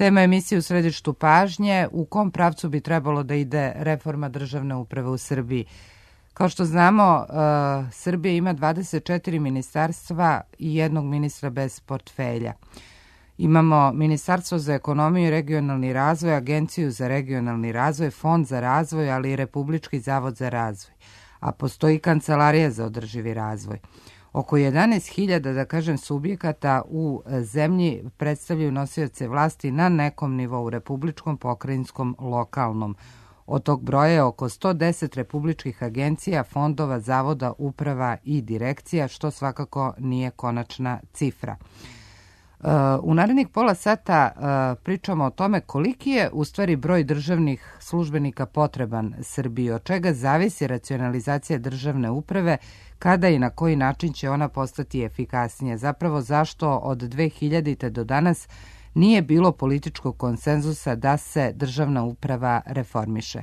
Tema emisije U središtu pažnje, u kom pravcu bi trebalo da ide reforma državne uprave u Srbiji. Kao što znamo, Srbija ima 24 ministarstva i jednog ministra bez portfelja. Imamo Ministarstvo za ekonomiju i regionalni razvoj, Agenciju za regionalni razvoj, Fond za razvoj, ali i Republički zavod za razvoj. A postoji Kancelarija za održivi razvoj. Oko 11.000, da kažem, subjekata u zemlji predstavljaju nosioce vlasti na nekom nivou, republičkom, pokrajinskom, lokalnom. Od tog broja je oko 110 republičkih agencija, fondova, zavoda, uprava i direkcija, što svakako nije konačna cifra. U narednih pola sata pričamo o tome koliki je u stvari broj državnih službenika potreban Srbiji, od čega zavisi racionalizacija državne uprave, kada i na koji način će ona postati efikasnija. Zapravo zašto od 2000. do danas nije bilo političkog konsenzusa da se državna uprava reformiše.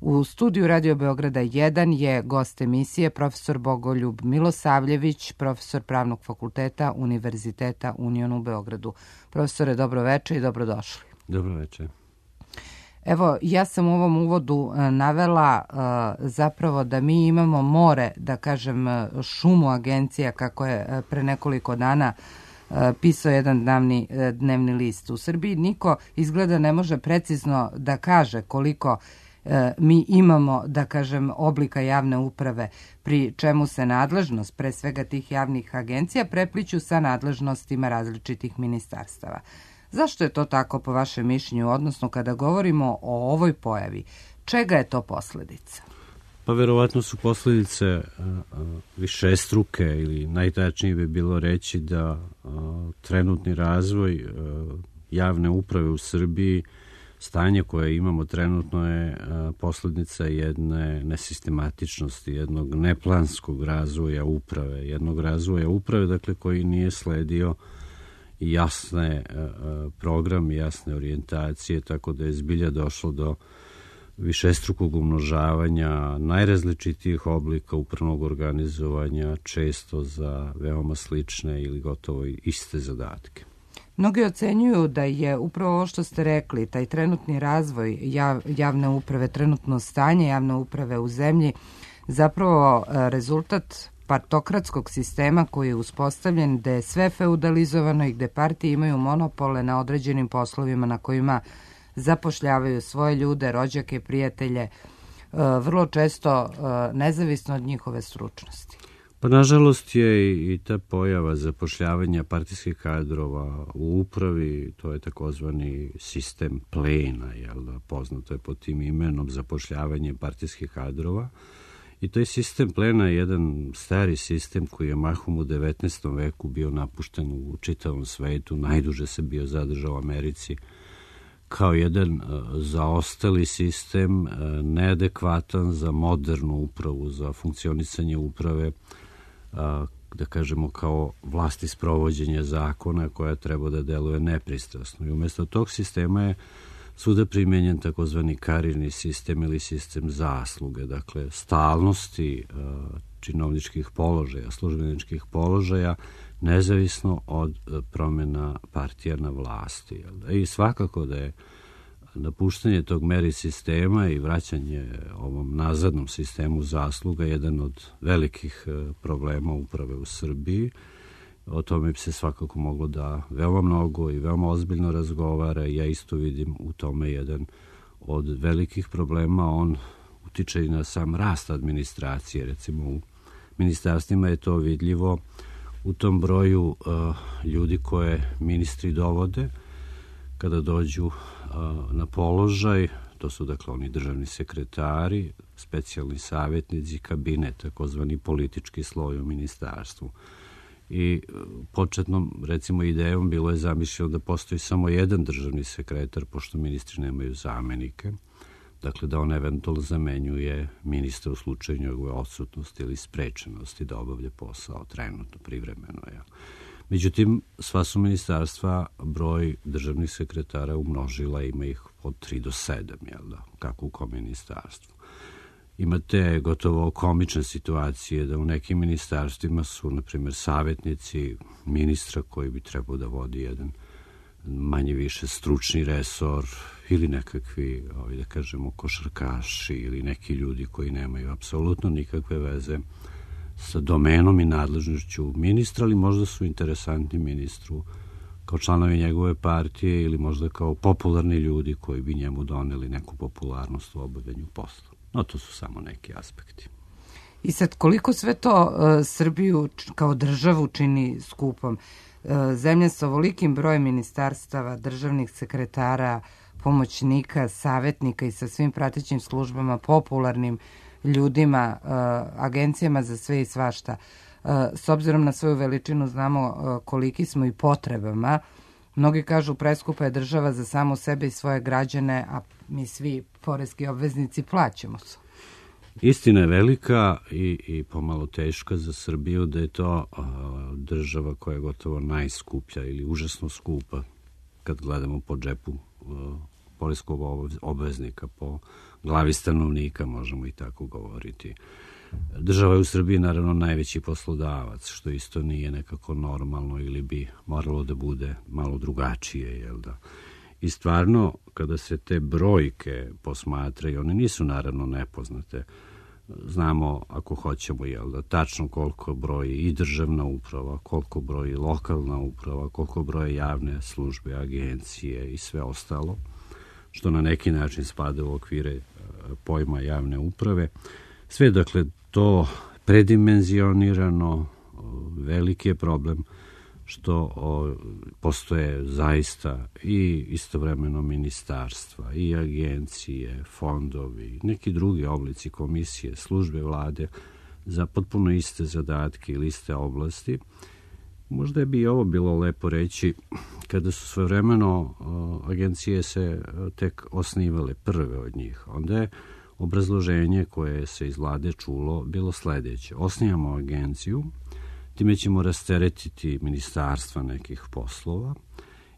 U studiju Radio Beograda 1 je gost emisije profesor Bogoljub Milosavljević, profesor Pravnog fakulteta Univerziteta Union u Beogradu. Profesore, dobroveče i dobrodošli. Dobroveče. Evo, ja sam u ovom uvodu navela zapravo da mi imamo more, da kažem, šumu agencija, kako je pre nekoliko dana pisao jedan dnevni list. U Srbiji niko izgleda ne može precizno da kaže koliko mi imamo, da kažem, oblika javne uprave, pri čemu se nadležnost, pre svega tih javnih agencija, prepliću sa nadležnostima različitih ministarstava. Zašto je to tako po vašem mišljenju, odnosno kada govorimo o ovoj pojavi, čega je to posledica? Pa verovatno su posledice višestruke, ili najtačnije bi bilo reći da trenutni razvoj javne uprave u Srbiji, stanje koje imamo trenutno, je posledica jedne nesistematičnosti, jednog neplanskog razvoja uprave, dakle, koji nije sledio jasne program, jasne orijentacije, tako da je zbilja došlo do višestrukog umnožavanja najrazličitijih oblika upravnog organizovanja, često za veoma slične ili gotovo iste zadatke. Mnogi ocenjuju da je upravo ovo što ste rekli, taj trenutni razvoj javne uprave, trenutno stanje javne uprave u zemlji, zapravo rezultat partokratskog sistema koji je uspostavljen, gde je sve feudalizovano i gde partije imaju monopole na određenim poslovima na kojima zapošljavaju svoje ljude, rođake, prijatelje, vrlo često nezavisno od njihove stručnosti. Pa nažalost je i ta pojava zapošljavanja partijskih kadrova u upravi, to je takozvani sistem plena, poznato je pod tim imenom zapošljavanje partijskih kadrova. I taj sistem plena je jedan stari sistem koji je mahom u 19. veku bio napušten u čitavom svetu, najduže se bio zadržao u Americi, kao jedan zaostali sistem, neadekvatan za modernu upravu, za funkcionisanje uprave, da kažemo kao vlasti sprovođenja zakona koja treba da deluje nepristrasno. I umjesto tog sistema je svuda primenjen takozvani karirni sistem ili sistem zasluge, dakle stalnosti činovničkih položaja, službeničkih položaja, nezavisno od promjena partija na vlasti. I svakako da je napuštanje tog meri sistema i vraćanje ovom nazadnom sistemu zasluga jedan od velikih problema uprave u Srbiji. O tome bi se svakako moglo da veoma mnogo i veoma ozbiljno razgovara. Ja isto vidim u tome jedan od velikih problema. On utiče i na sam rast administracije. Recimo u ministarstvima je to vidljivo u tom broju ljudi koje ministri dovode kada dođu na položaj. To su dakle oni državni sekretari, specijalni savjetnici, kabinet, takozvani politički sloj u ministarstvu. I početnom, recimo, idejom bilo je zamišljeno da postoji samo jedan državni sekretar, pošto ministri nemaju zamenike, dakle da on eventualno zamenjuje ministra u slučaju njegove odsutnosti ili sprečenosti da obavlja posao trenutno, privremeno. Međutim, sva su ministarstva broj državnih sekretara umnožila, ima ih od 3 do 7, kako u kom ministarstvu. Imate gotovo komične situacije da u nekim ministarstvima su, na primjer, savjetnici ministra koji bi trebao da vodi jedan manje više stručni resor ili nekakvi, da kažemo, košarkaši ili neki ljudi koji nemaju apsolutno nikakve veze sa domenom i nadležnošću ministra, ali možda su interesantni ministru kao članovi njegove partije ili možda kao popularni ljudi koji bi njemu doneli neku popularnost u obavljanju posla. No, to su samo neki aspekti. I sad, koliko sve to Srbiju kao državu čini skupom? Zemlja sa ovolikim brojem ministarstava, državnih sekretara, pomoćnika, savjetnika i sa svim pratećim službama, popularnim ljudima, agencijama za sve i svašta. S obzirom na svoju veličinu znamo koliki smo i potrebama. Mnogi kažu preskupa je država za samo sebe i svoje građane, a mi svi poreski obveznici plaćamo se. Istina je velika i pomalo teška za Srbiju da je to država koja je gotovo najskuplja ili užasno skupa kad gledamo po džepu poreskog obveznika, po glavi stanovnika, možemo i tako govoriti. Država je u Srbiji naravno najveći poslodavac, što isto nije nekako normalno ili bi moralo da bude malo drugačije, jel da? I stvarno, kada se te brojke posmatraju, one nisu naravno nepoznate. Znamo, ako hoćemo, jel da, tačno koliko broji i državna uprava, koliko broji lokalna uprava, koliko broje javne službe, agencije i sve ostalo, što na neki način spada u okvire pojma javne uprave. Sve, dakle, to predimenzionirano, veliki je problem što postoje zaista i istovremeno ministarstva, i agencije, fondovi, neki drugi oblici, komisije, službe vlade za potpuno iste zadatke ili iste oblasti. Možda bi i ovo bilo lepo reći kada su svojevremeno agencije se tek osnivale, prve od njih. Onda je obrazloženje koje se iz vlade čulo bilo sledeće. Osnijamo agenciju, time ćemo rasteretiti ministarstva nekih poslova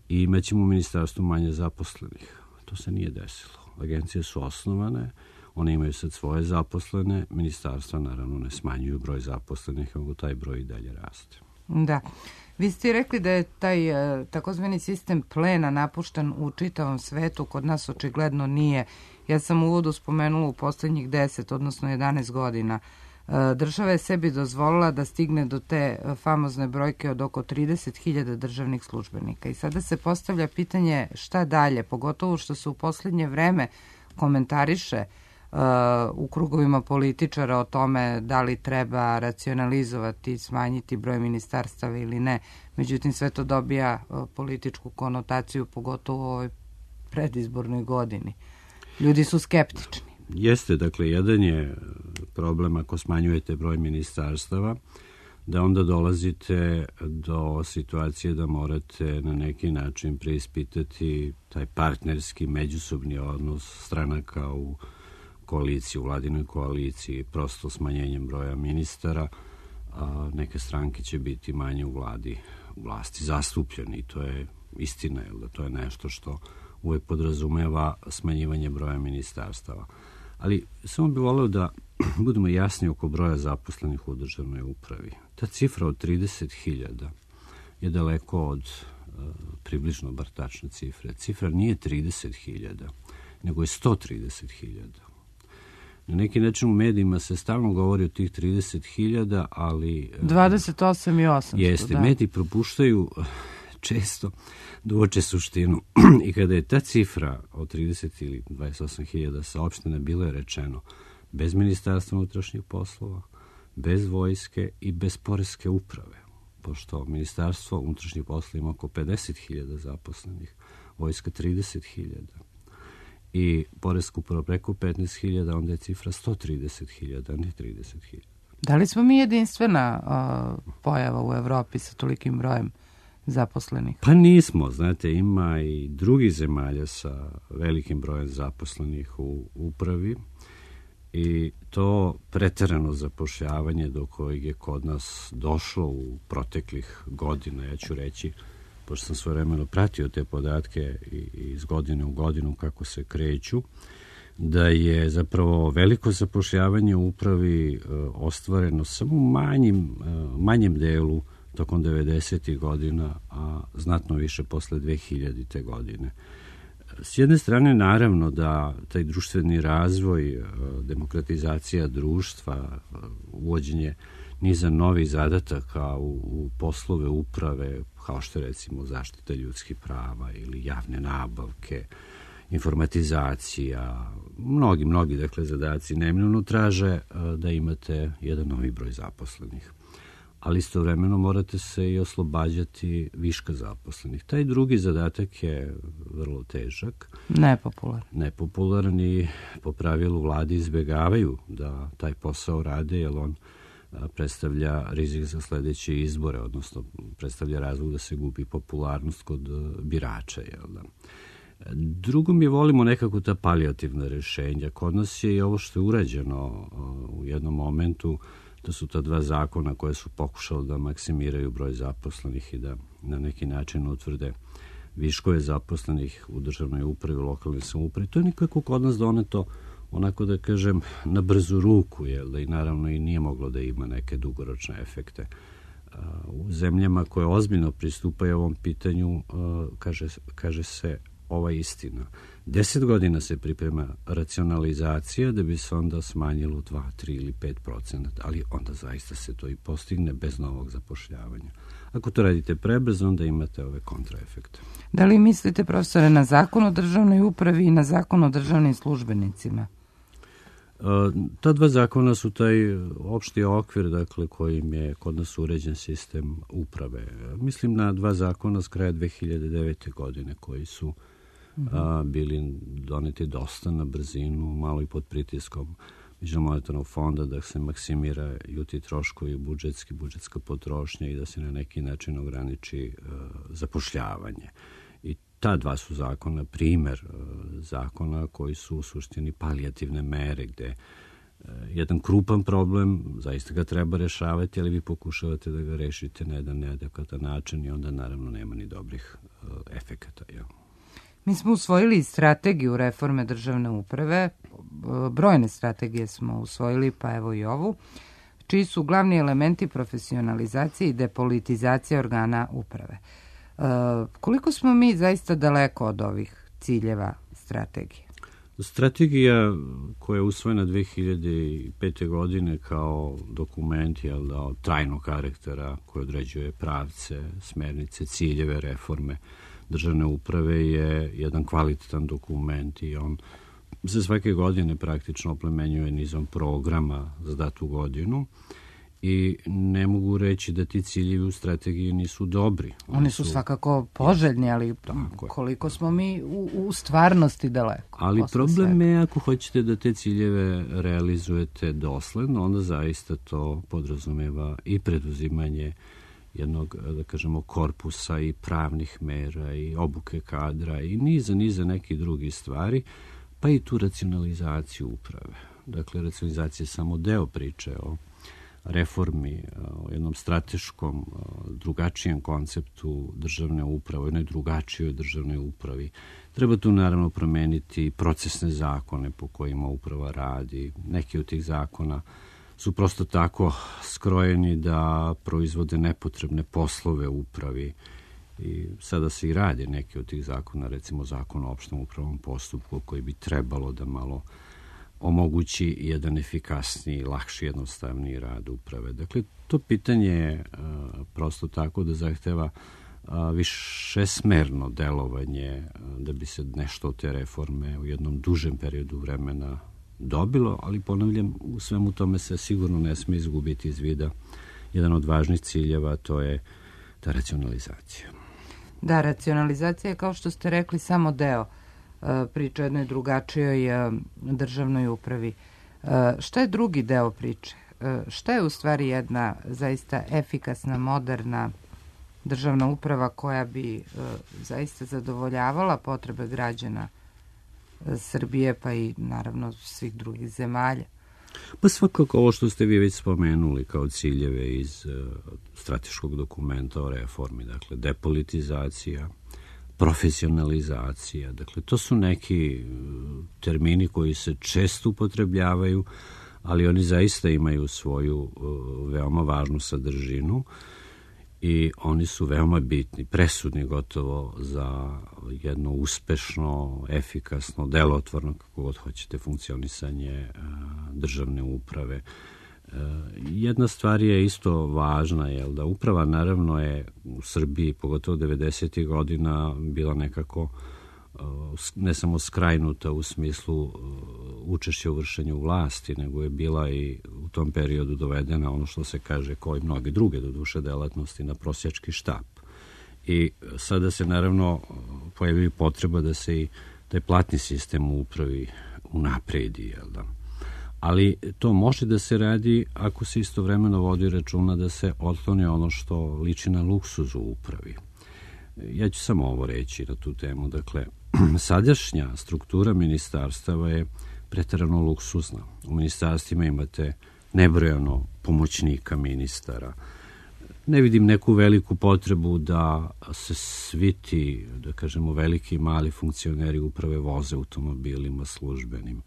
i imaćemo u ministarstvu manje zaposlenih. To se nije desilo. Agencije su osnovane, one imaju sad svoje zaposlene, ministarstva naravno ne smanjuju broj zaposlenih, nego taj broj i dalje raste. Da. Vi ste rekli da je taj takozvani sistem plena napušten u čitavom svetu, kod nas očigledno nije. Ja sam u uvodu spomenula u poslednjih 10, odnosno 11 godina. Država je sebi dozvolila da stigne do te famozne brojke od oko 30.000 državnih službenika. I sada se postavlja pitanje šta dalje, pogotovo što se u poslednje vreme komentariše u krugovima političara o tome da li treba racionalizovati, smanjiti broj ministarstava ili ne. Međutim, sve to dobija političku konotaciju, pogotovo u ovoj predizbornoj godini. Ljudi su skeptični. Jeste, dakle, jedan je problem ako smanjujete broj ministarstava, da onda dolazite do situacije da morate na neki način preispitati taj partnerski međusobni odnos stranaka u koaliciji, u vladinoj koaliciji, prosto smanjenjem broja ministara, a neke stranke će biti manje u vlasti zastupljeni. To je istina, jer da to je nešto što uvek podrazumeva smanjivanje broja ministarstava. Ali samo bih voleo da budemo jasni oko broja zaposlenih u državnoj upravi. Ta cifra od 30.000 je daleko od približno bar tačne cifre. Cifra nije 30.000, nego je 130.000. Na neki način u medijima se stalno govori o tih 30.000, ali 28 i 800. Jeste, da. Mediji propuštaju često da uoče suštinu. I kada je ta cifra od 30 ili 28.000 saopštena, bilo je rečeno bez ministarstva unutrašnjih poslova, bez vojske i bez poreske uprave. Pošto ministarstvo unutrašnjih poslova ima oko 50.000 zaposlenih, vojska 30.000 i poreska uprava preko 15.000, onda je cifra 130.000, a ne 30.000. Da li smo mi jedinstvena pojava u Evropi sa tolikim brojem zaposlenih? Pa nismo, znate, ima i drugih zemalja sa velikim brojem zaposlenih u upravi i to preterano zapošljavanje do kojeg je kod nas došlo u proteklih godina, ja ću reći, pošto sam svojevremeno pratio te podatke iz godine u godinu kako se kreću, da je zapravo veliko zapošljavanje u upravi ostvareno samo u manjem delu tokom 90. godina, a znatno više posle 2000. godine. S jedne strane, naravno da taj društveni razvoj, demokratizacija društva, uvođenje niza novih zadataka u poslove uprave, kao što je recimo zaštita ljudskih prava ili javne nabavke, informatizacija, mnogi dakle zadaci neminovno traže da imate jedan novi broj zaposlenih. Ali istovremeno morate se i oslobađati viška zaposlenih. Taj drugi zadatak je vrlo težak. Nepopularan i po pravilu vlade izbegavaju da taj posao rade, jer on predstavlja rizik za sledeće izbore, odnosno predstavlja razlog da se gubi popularnost kod birača. Jel da? Drugo, mi volimo nekako ta palijativna rešenja. Kod nas je i ovo što je urađeno u jednom momentu, to su ta dva zakona koje su pokušali da maksimiraju broj zaposlenih i da na neki način utvrde viškove zaposlenih u državnoj upravi, u lokalnoj samoupravi. To je nikako kod nas doneto, onako da kažem, na brzu ruku, jel da, i naravno i nije moglo da ima neke dugoročne efekte. U zemljama koje ozbiljno pristupaju ovom pitanju, kaže se ova istina. 10 godina se priprema racionalizacija da bi se onda smanjilo 2, 3 ili 5%, ali onda zaista se to i postigne bez novog zapošljavanja. Ako to radite prebrzo, onda imate ove kontraefekte. Da li mislite, profesore, na zakon o državnoj upravi i na zakon o državnim službenicima? Ta dva zakona su taj opšti okvir, dakle, kojim je kod nas uređen sistem uprave. Mislim na dva zakona s kraja 2009. godine koji su bili doneti dosta na brzinu, malo i pod pritiskom Međunarodnog fonda da se maksimiraju ti troškovi budžetska potrošnja i da se na neki način ograniči zapošljavanje. I ta dva su zakona primer zakona koji su u suštini palijativne mere, gde jedan krupan problem, zaista ga treba rešavati, ali vi pokušavate da ga rešite na jedan neadekvatan način i onda naravno nema ni dobrih efekata. Mi smo usvojili strategiju reforme državne uprave, brojne strategije smo usvojili, pa evo i ovu, čiji su glavni elementi profesionalizacije i depolitizacije organa uprave. Koliko smo mi zaista daleko od ovih ciljeva strategije? Strategija koja je usvojena 2005. godine kao dokument od trajnog karaktera koji određuje pravce, smernice, ciljeve reforme državne uprave je jedan kvalitetan dokument i on se svake godine praktično oplemenjuje nizom programa za datu godinu i ne mogu reći da ti ciljevi u strategiji nisu dobri. Oni su svakako poželjni, ali koliko smo mi u stvarnosti daleko. Ali problem je ako hoćete da te ciljeve realizujete dosledno, onda zaista to podrazumeva i preduzimanje jednog, da kažemo, korpusa i pravnih mera i obuke kadra i niza nekih drugih stvari, pa i tu racionalizaciju uprave. Dakle, racionalizacija je samo deo priče o reformi, o jednom strateškom, drugačijem konceptu državne uprave, o jednoj drugačijoj državnoj upravi. Treba tu naravno promeniti procesne zakone po kojima uprava radi. Neki od tih zakona su prosto tako skrojeni da proizvode nepotrebne poslove u upravi i sada se i radi neki od tih zakona, recimo zakon o opštem upravnom postupku koji bi trebalo da malo omogući jedan efikasniji, lakši, jednostavniji rad uprave. Dakle, to pitanje je prosto tako da zahteva višesmerno delovanje da bi se nešto od te reforme u jednom dužem periodu vremena dobilo, ali ponavljam, u svemu tome se sigurno ne sme izgubiti iz vida jedan od važnih ciljeva, to je ta racionalizacija. Da, racionalizacija je, kao što ste rekli, samo deo priče o jednoj drugačijoj državnoj upravi. Šta je drugi deo priče? Šta je u stvari jedna zaista efikasna, moderna državna uprava koja bi zaista zadovoljavala potrebe građana Srbije, pa i naravno svih drugih zemalja? Pa svakako ovo što ste vi već spomenuli kao ciljeve iz strateškog dokumenta o reformi, dakle depolitizacija, profesionalizacija, dakle to su neki termini koji se često upotrebljavaju, ali oni zaista imaju svoju veoma važnu sadržinu i oni su veoma bitni, presudni gotovo za jedno uspešno, efikasno, delotvorno, kako god hoćete, funkcionisanje državne uprave. Jedna stvar je isto važna, je da uprava naravno je u Srbiji, pogotovo 90. godina, bila nekako ne samo skrajnuta u smislu učešća u vršenju vlasti, nego je bila i u tom periodu dovedena, ono što se kaže, kao i mnoge druge do duše delatnosti, na prosjački štap. I sada se naravno pojavi potreba da se i taj platni sistem u upravi unapredi, jel da? Ali to može da se radi ako se istovremeno vodi računa da se otkloni ono što liči na luksuz u upravi. Ja ću samo ovo reći na tu temu. Dakle, sadašnja struktura ministarstava je preterano luksuzna. U ministarstvima imate nebrojano pomoćnika ministara. Ne vidim neku veliku potrebu da se svi ti, da kažemo, veliki i mali funkcioneri uprave voze automobilima službenim,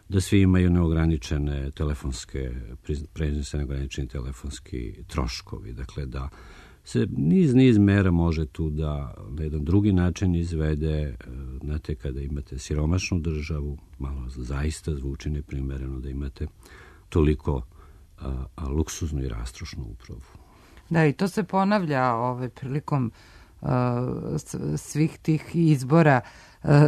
da svi imaju neograničene telefonske, neograničeni telefonski troškovi. Dakle, da se niz mera može tu da na jedan drugi način izvede. Znate, kada imate siromašnu državu, malo zaista zvuči neprimereno da imate toliko luksuznu i rastrošnu upravu. Da, i to se ponavlja prilikom svih tih izbora.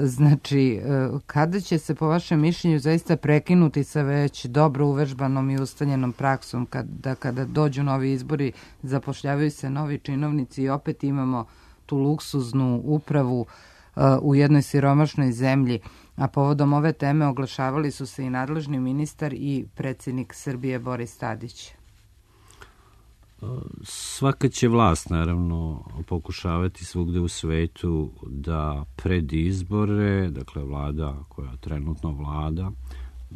Znači, kada će se po vašem mišljenju zaista prekinuti sa već dobro uvežbanom i ustaljenom praksom, kada dođu novi izbori, zapošljavaju se novi činovnici i opet imamo tu luksuznu upravu u jednoj siromašnoj zemlji, a povodom ove teme oglašavali su se i nadležni ministar i predsjednik Srbije Boris Tadić. Svaka će vlast, naravno, pokušavati svugde u svetu da pred izbore, dakle vlada koja trenutno vlada,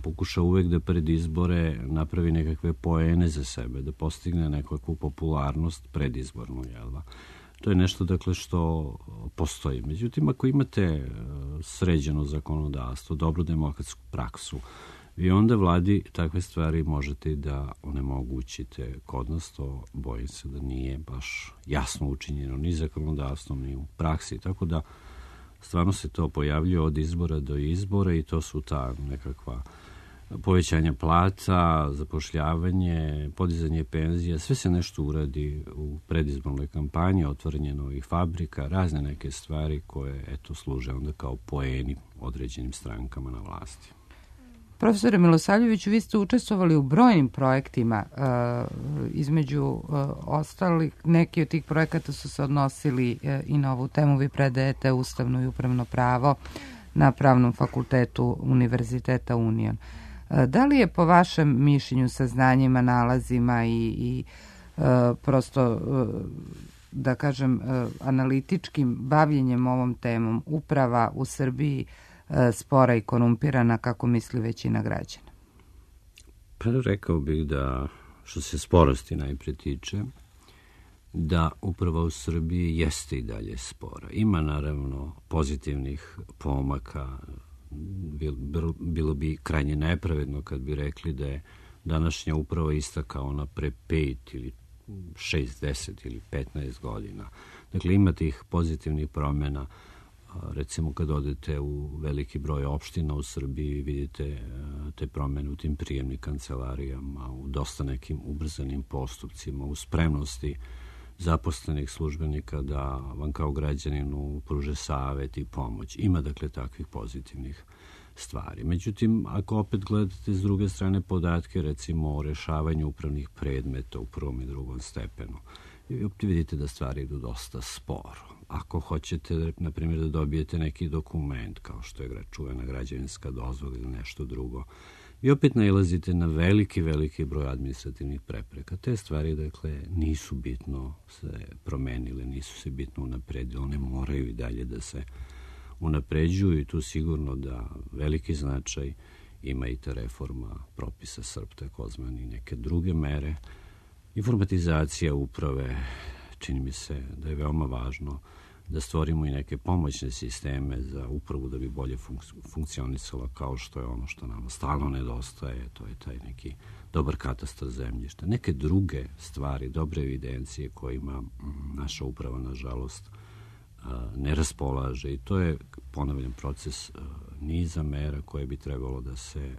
pokuša uvek da pred izbore napravi nekakve poene za sebe, da postigne nekakvu popularnost predizbornu, jel da? To je nešto, dakle, što postoji. Međutim, ako imate sređeno zakonodavstvo, dobru demokratsku praksu, vi onda vladi takve stvari možete da onemogućite. Kod nas to, bojim se, da nije baš jasno učinjeno ni zakonodavstvom, ni u praksi, tako da stvarno se to pojavljuje od izbora do izbora i to su ta nekakva povećanja plata, zapošljavanje, podizanje penzija, sve se nešto uradi u predizbornoj kampanji, otvaranje novih fabrika, razne neke stvari koje, eto, služe onda kao poeni određenim strankama na vlasti. Profesore Milosavljeviću, vi ste učestvovali u brojnim projektima, između ostalih, neki od tih projekata su se odnosili i na ovu temu. Vi predajete ustavno i upravno pravo na Pravnom fakultetu Univerziteta Union. Da li je po vašem mišljenju, saznanjima, nalazima i prosto, da kažem, analitičkim bavljenjem ovom temom uprava u Srbiji spora i korumpirana, kako misli većina građana? Pa rekao bih da, što se sporosti najpre tiče, da uprava u Srbiji jeste i dalje spora. Ima naravno pozitivnih pomaka. Bilo bi krajnje nepravedno kad bi rekli da je današnja uprava ista kao ona pre 5 ili 6, 10 ili 15 godina. Dakle, ima tih pozitivnih promjena. Recimo, kad odete u veliki broj opština u Srbiji, vidite te promjene u tim prijemnim kancelarijama, u dosta nekim ubrzanim postupcima, u spremnosti zaposlenih službenika da vam kao građaninu pruže savet i pomoć. Ima, dakle, takvih pozitivnih stvari. Međutim, ako opet gledate s druge strane podatke, recimo o rešavanju upravnih predmeta u prvom i drugom stepenu, vi vidite da stvari idu dosta sporo. Ako hoćete, na primjer, da dobijete neki dokument, kao što je čuvena građevinska dozvola ili nešto drugo, vi opet nailazite na veliki broj administrativnih prepreka. Te stvari, dakle, nisu bitno se promenile, nisu se bitno unapredile, one moraju i dalje da se unapređuju i tu sigurno da veliki značaj ima i ta reforma propisa SRP, takozvani, neke druge mere. Informatizacija uprave, čini mi se da je veoma važno da stvorimo i neke pomoćne sisteme za upravu da bi bolje funkcionisala, kao što je ono što nam stalno nedostaje, to je taj neki dobar katastar zemljišta. Neke druge stvari, dobre evidencije kojima naša uprava, nažalost, ne raspolaže, i to je, ponavljam, proces niza mera koje bi trebalo da se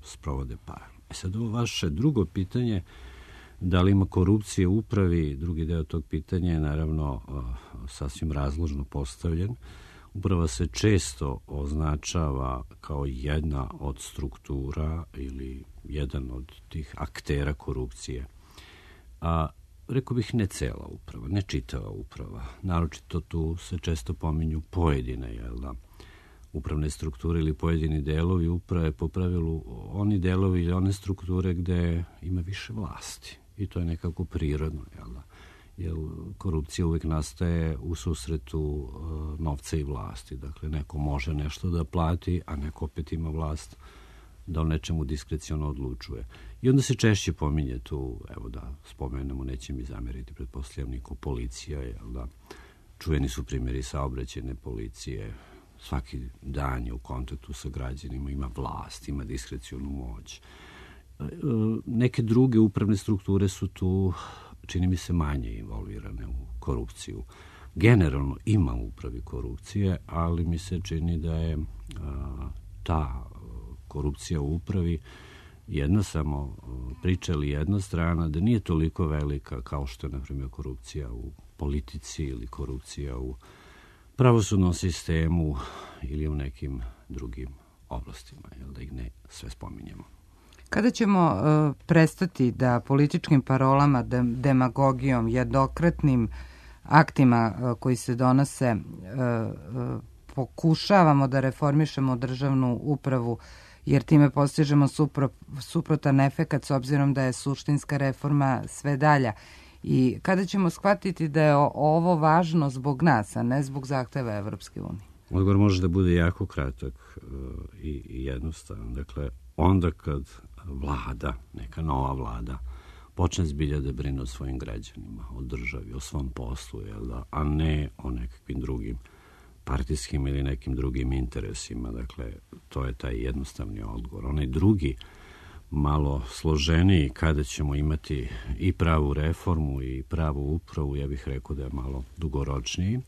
sprovode paralelno. Sad ovo vaše drugo pitanje, da li ima korupcije u upravi, drugi deo tog pitanja je naravno sasvim razložno postavljen. Uprava se često označava kao jedna od struktura ili jedan od tih aktera korupcije. A rekao bih ne cela uprava, ne čitava uprava. Naročito tu se često pominju pojedine, upravne strukture ili pojedini delovi uprave, po pravilu oni delovi ili one strukture gde ima više vlasti. I to je nekako prirodno, jer korupcija uvek nastaje u susretu novca i vlasti. Dakle, neko može nešto da plati, a neko opet ima vlast da o nečemu diskreciono odlučuje. I onda se češće pominje tu, evo da spomenemo, neće mi zameriti, pretpostavljam niko, policija, čuveni su primjeri saobraćajne policije, svaki dan je u kontaktu sa građanima, ima vlast, ima diskrecionu moć. Neke druge upravne strukture su tu, čini mi se, manje involvirane u korupciju. Generalno ima u upravi korupcije, ali mi se čini da je ta korupcija u upravi jedna samo priča ili jedna strana, da nije toliko velika kao što je, na primjer, korupcija u politici ili korupcija u pravosudnom sistemu ili u nekim drugim oblastima, da ih ne sve spominjemo. Kada ćemo prestati da političkim parolama, demagogijom, jednokratnim aktima koji se donose pokušavamo da reformišemo državnu upravu, jer time postižemo suprotan efekat s obzirom da je suštinska reforma sve dalja? I kada ćemo shvatiti da je ovo važno zbog nas, a ne zbog zahteva Evropske unije? Odgovor može da bude jako kratak i jednostavan. Dakle, onda kad vlada, neka nova vlada, počne zbilja da brine o svojim građanima, o državi, o svom poslu, a ne o nekakvim drugim partijskim ili nekim drugim interesima. Dakle, to je taj jednostavni odgovor. Onaj drugi, malo složeniji, kada ćemo imati i pravu reformu i pravu upravu, ja bih rekao da je malo dugoročniji.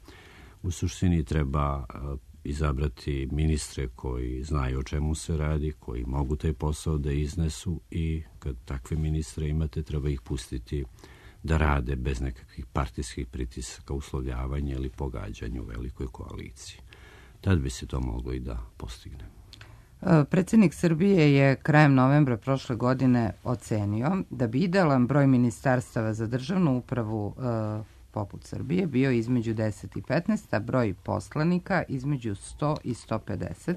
U suštini treba izabrati ministre koji znaju o čemu se radi, koji mogu taj posao da iznesu, i kad takve ministre imate, treba ih pustiti da rade bez nekakvih partijskih pritisaka, uslovljavanja ili pogađanja u velikoj koaliciji. Tad bi se to moglo i da postigne. Predsjednik Srbije je krajem novembra prošle godine ocenio da bi idealan broj ministarstava za državnu upravu poput Srbije bio između 10 i 15, a broj poslanika između 100 i 150,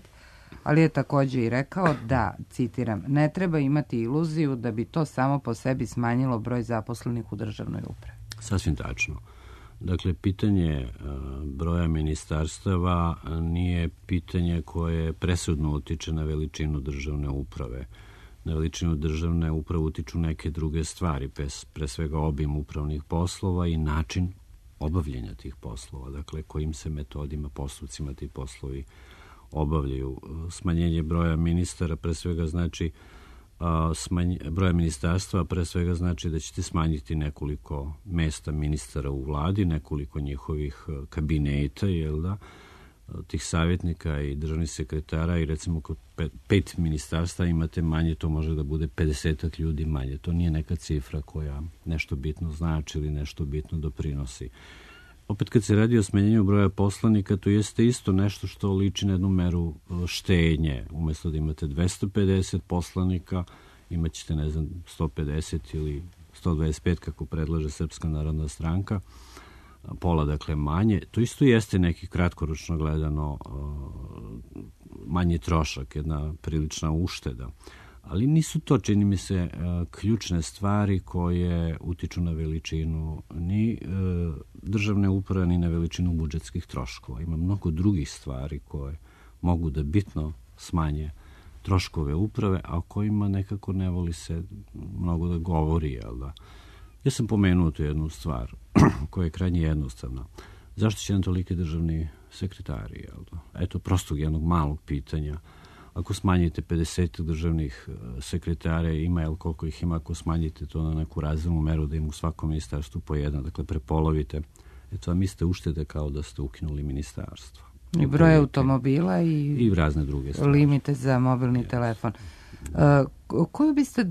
ali je takođe i rekao da, citiram, ne treba imati iluziju da bi to samo po sebi smanjilo broj zaposlenih u državnoj upravi. Sasvim tačno. Dakle, pitanje broja ministarstava nije pitanje koje presudno utiče na veličinu državne uprave. Na veličinu državne uprave utiču neke druge stvari, pre svega obim upravnih poslova i način obavljanja tih poslova, dakle, kojim se metodima, postupcima ti poslovi obavljaju. Smanjenje broja ministara pre svega znači broja ministarstva, pre svega znači da ćete smanjiti nekoliko mesta ministara u vladi, nekoliko njihovih kabineta, tih savjetnika i državnih sekretara, i recimo kod 5 ministarstva imate manje, to može da bude 50 ljudi manje. To nije neka cifra koja nešto bitno znači ili nešto bitno doprinosi. Opet kad se radi o smanjenju broja poslanika, to jeste isto nešto što liči na jednu meru štednje. Umesto da imate 250 poslanika, imat ćete, 150 ili 125, kako predlaže Srpska narodna stranka, pola, dakle, manje. To isto jeste neki kratkoročno gledano manji trošak, jedna prilična ušteda. Ali nisu to, čini mi se, ključne stvari koje utiču na veličinu ni državne uprave, ni na veličinu budžetskih troškova. Ima mnogo drugih stvari koje mogu da bitno smanje troškove uprave, a o kojima nekako ne voli se mnogo da govori. Ja sam pomenuo tu jednu stvar koja je krajnje jednostavna. zašto će nam toliki državni sekretari? Jel? Eto, prostog jednog malog pitanja. Ako smanjite 50 državnih sekretara, ima, jel koliko ih ima, ako smanjite to na neku razumnu meru da im u svakom ministarstvu po jedan, dakle prepolovite, eto, a mislite uštede kao da ste ukinuli ministarstvo. I broj automobila i razne druge stvari. Limite za mobilni telefon. Koju biste,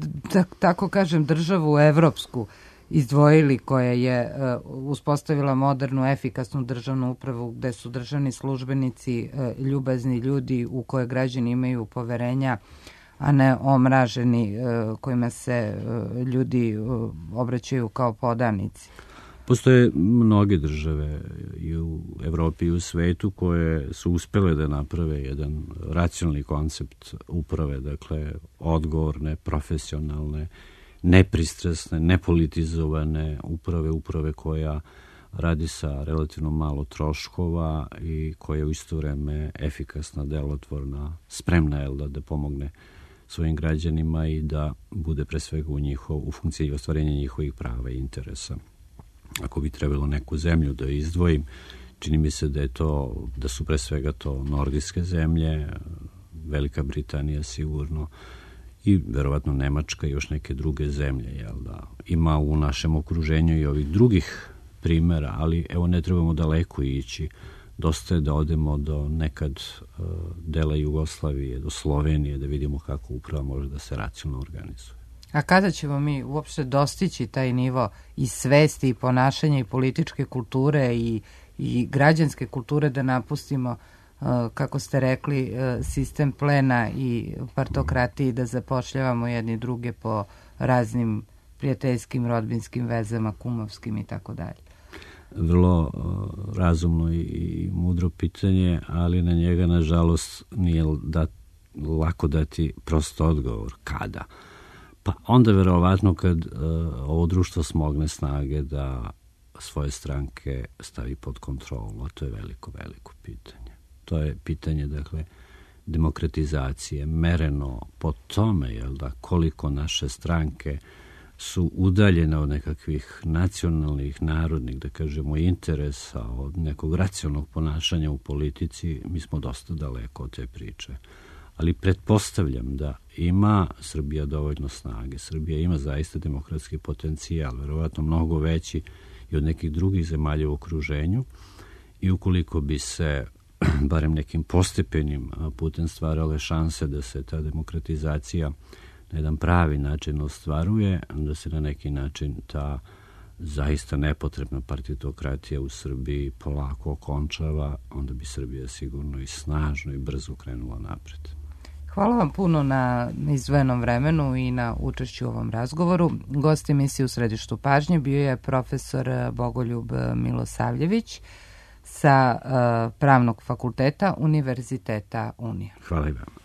tako kažem, državu evropsku izdvojili koja je uspostavila modernu, efikasnu državnu upravu gde su državni službenici ljubazni ljudi u koje građani imaju poverenja, a ne omraženi kojima se ljudi obraćaju kao podanici? Postoje mnoge države i u Evropi i u svetu koje su uspele da naprave jedan racionalni koncept uprave, dakle odgovorne, profesionalne, nepristrasne, nepolitizovane uprave koja radi sa relativno malo troškova i koja je u isto vreme efikasna, delotvorna, spremna je da pomogne svojim građanima i da bude pre svega u funkciji ostvarenja njihovih prava i interesa. Ako bi trebalo neku zemlju da izdvojim, čini mi se da su pre svega to nordijske zemlje, Velika Britanija sigurno, i verovatno Nemačka i još neke druge zemlje. Jel da? Ima u našem okruženju i ovih drugih primera, ali evo ne trebamo daleko ići. Dosta je da odemo do nekad dela Jugoslavije, do Slovenije, da vidimo kako uprava može da se racionalno organizuje. A kada ćemo mi uopšte dostići taj nivo i svesti i ponašanja i političke kulture i građanske kulture da napustimo, kako ste rekli, sistem plena i partokratiji, da zapošljavamo jedni druge po raznim prijateljskim, rodbinskim vezama, kumovskim i tako dalje? Vrlo razumno i mudro pitanje, ali na njega, nažalost, nije lako dati prost odgovor. Kada? Pa onda verovatno kad ovo društvo smogne snage da svoje stranke stavi pod kontrolu, a to je veliko pitanje. To je pitanje, dakle, demokratizacije, mereno po tome, koliko naše stranke su udaljene od nekakvih nacionalnih, narodnih, da kažemo, interesa, od nekog racionalnog ponašanja u politici. Mi smo dosta daleko od te priče. Ali pretpostavljam da ima Srbija dovoljno snage. Srbija ima zaista demokratski potencijal, verovatno mnogo veći i od nekih drugih zemalja u okruženju, i ukoliko bi se barem nekim postepenim putem stvarale šanse da se ta demokratizacija na jedan pravi način ostvaruje, da se na neki način ta zaista nepotrebna partitokratija u Srbiji polako okončava, onda bi Srbija sigurno i snažno i brzo krenula napred. Hvala vam puno na izdvojenom vremenu i na učešću u ovom razgovoru. Gost emisije U središtu pažnje bio je profesor Bogoljub Milosavljević sa Pravnog fakulteta Univerziteta Unija. Hvala i vama.